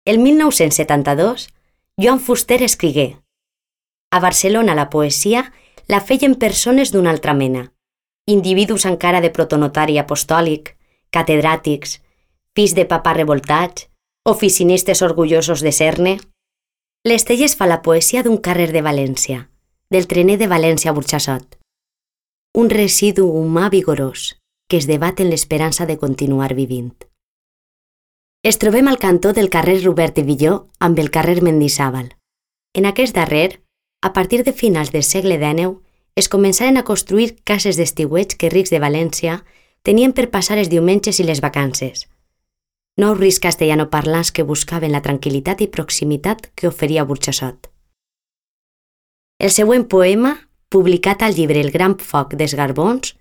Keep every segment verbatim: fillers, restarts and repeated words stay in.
El mil nou-cents setanta-dos, Joan Fuster escrigué: a Barcelona la poesia la feien persones d'una altra mena, individus encara de protonotari apostòlic, catedràtics, fills de papà revoltats, oficinistes orgullosos de ser-ne. L'Estelles fa la poesia d'un carrer de València, del trener de València a Burxassot. Un residu humà vigorós que es debat en l'esperança de continuar vivint. Es trobem al cantó del carrer Robert de Villó amb el carrer Mendizábal. En aquest darrer, a partir de finals del segle dènou, es començaren a construir cases d'estiueig que rics de València tenien per passar els diumenges i les vacances. Nous rics castellanoparlants que buscaven la tranquil·litat i proximitat que oferia Burxassot. El següent poema, publicat al llibre El gran foc dels Garbons,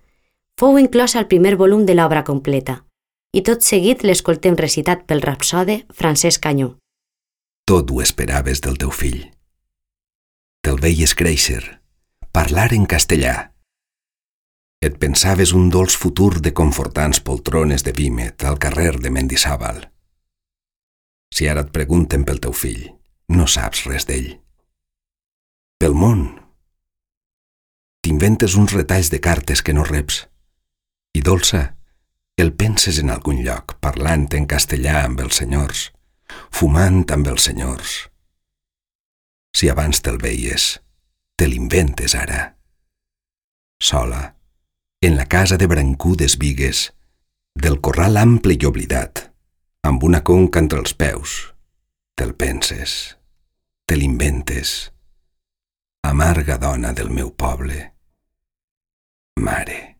fou inclòs al primer volum de l'obra completa, i tot seguit l'escoltem recitat pel rapsode Francesc Canyó. Tot ho esperaves del teu fill. Te'l veies créixer, parlar en castellà. Et pensaves un dolç futur de confortants poltrones de vímet al carrer de Mendizábal. Si ara et pregunten pel teu fill, no saps res d'ell. Pel món. T'inventes uns retalls de cartes que no reps. I dolça, el penses en algun lloc, parlant en castellà amb els senyors, fumant amb els senyors. Si abans te'l veies, te l'inventes ara. Sola, en la casa de brancudes vigues, del corral ample i oblidat, amb una conca entre els peus, te'l penses, te l'inventes. Amarga dona del meu poble, mare.